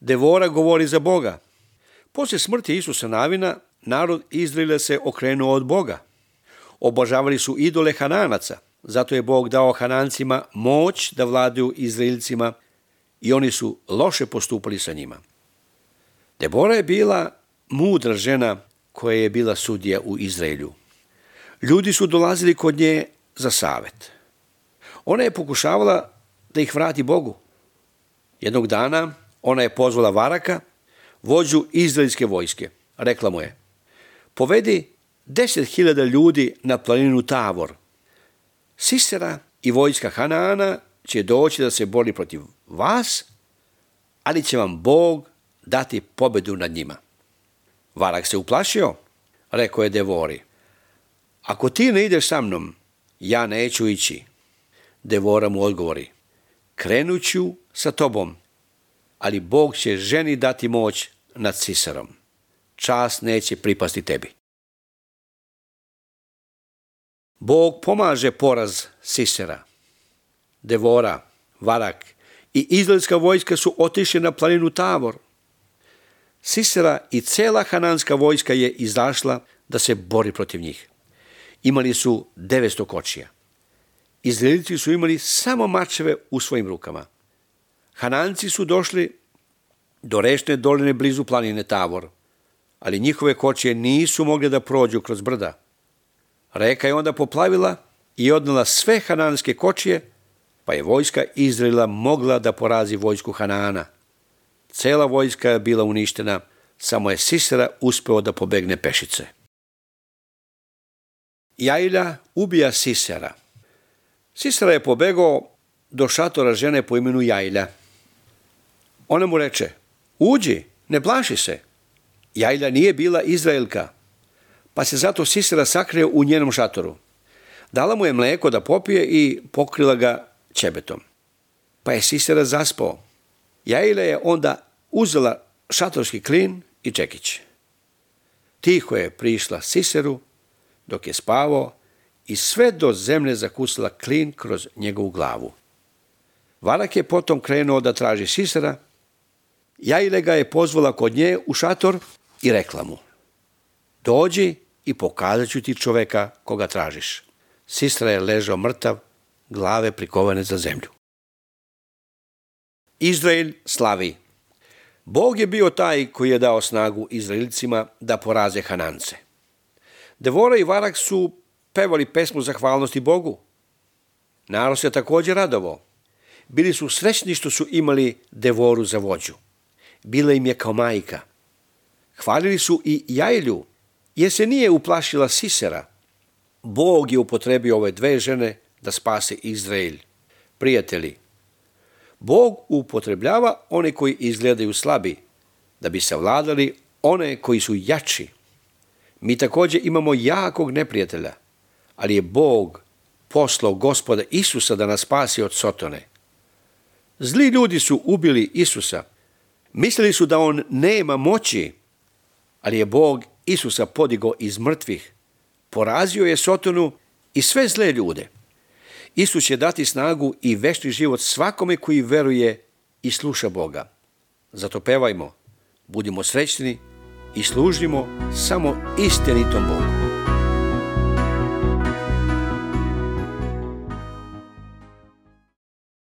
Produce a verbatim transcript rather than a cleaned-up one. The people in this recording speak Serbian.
Devora govori za Boga. Poslije smrti Isusa Navina, narod Izraela se okrenuo od Boga. Obožavali su idole Hananaca, zato je Bog dao Hanancima moć da vladaju Izraelcima i oni su loše postupali sa njima. Debora je bila mudra žena koja je bila sudija u Izraelju. Ljudi su dolazili kod nje za savet. Ona je pokušavala da ih vrati Bogu. Jednog dana ona je pozvala Varaka, vođu izraelske vojske. Rekla mu je: povedi deset hiljada ljudi na planinu Tavor. Sisera i vojska Hanaana će doći da se bori protiv vas, ali će vam Bog dati pobedu nad njima. Varak se uplašio, rekao je Devori: ako ti ne ideš sa mnom, ja neću ići. Devora mu odgovori: krenut ću sa tobom, ali Bog će ženi dati moć nad Siserom. Čast neće pripasti tebi. Bog pomaže poraz Sisera. Devora, Varak i izraelska vojska su otišli na planinu Tavor. Sisera i cela hananska vojska je izašla da se bori protiv njih. Imali su devetsto kočija. Izraelci su imali samo mačeve u svojim rukama. Hananci su došli do rečne doline blizu planine Tavor, ali njihove kočije nisu mogle da prođu kroz brda. Reka je onda poplavila i odnela sve hananske kočije, pa je vojska Izraela mogla da porazi vojsku Hanaana. Cela vojska je bila uništena, samo je Sisera uspeo da pobegne pešice. Jailja ubija Sisera. Sisera je pobegao do šatora žene po imenu Jailja. Ona mu reče: uđi, ne plaši se. Jailja nije bila Izraelka, pa se zato Sisera sakrio u njenom šatoru. Dala mu je mleko da popije i pokrila ga ćebetom. Pa je Sisera zaspao. Jailja je onda uzela šatorski klin i čekić. Tiho je prišla Siseru dok je spavao i sve do zemlje zakusila klin kroz njegovu glavu. Varak je potom krenuo da traži Sisera. Jailja ga je pozvala kod nje u šator i rekla mu: dođi i pokazat ću ti čoveka koga tražiš. Sisera je ležao mrtav, glave prikovane za zemlju. Izrael slavi. Bog je bio taj koji je dao snagu Izraelcima da poraze Hanance. Devora i Varak su pevali pesmu zahvalnosti Bogu. Narod se također radovao. Bili su srećni što su imali Devoru za vođu. Bila im je kao majka. Hvalili su i Jailju, jer se nije uplašila Sisera. Bog je upotrebio ove dve žene da spase Izrael. Prijatelji, Bog upotrebljava one koji izgledaju slabi, da bi savladali one koji su jači. Mi također imamo jakog neprijatelja, ali je Bog poslao Gospoda Isusa da nas spasi od Sotone. Zli ljudi su ubili Isusa. Mislili su da on nema moći, ali je Bog Isusa podigao iz mrtvih. Porazio je Sotonu i sve zle ljude. Isus će dati snagu i večni život svakome koji veruje i sluša Boga. Zato pevajmo, budimo srećni i služimo samo istinitom Bogu.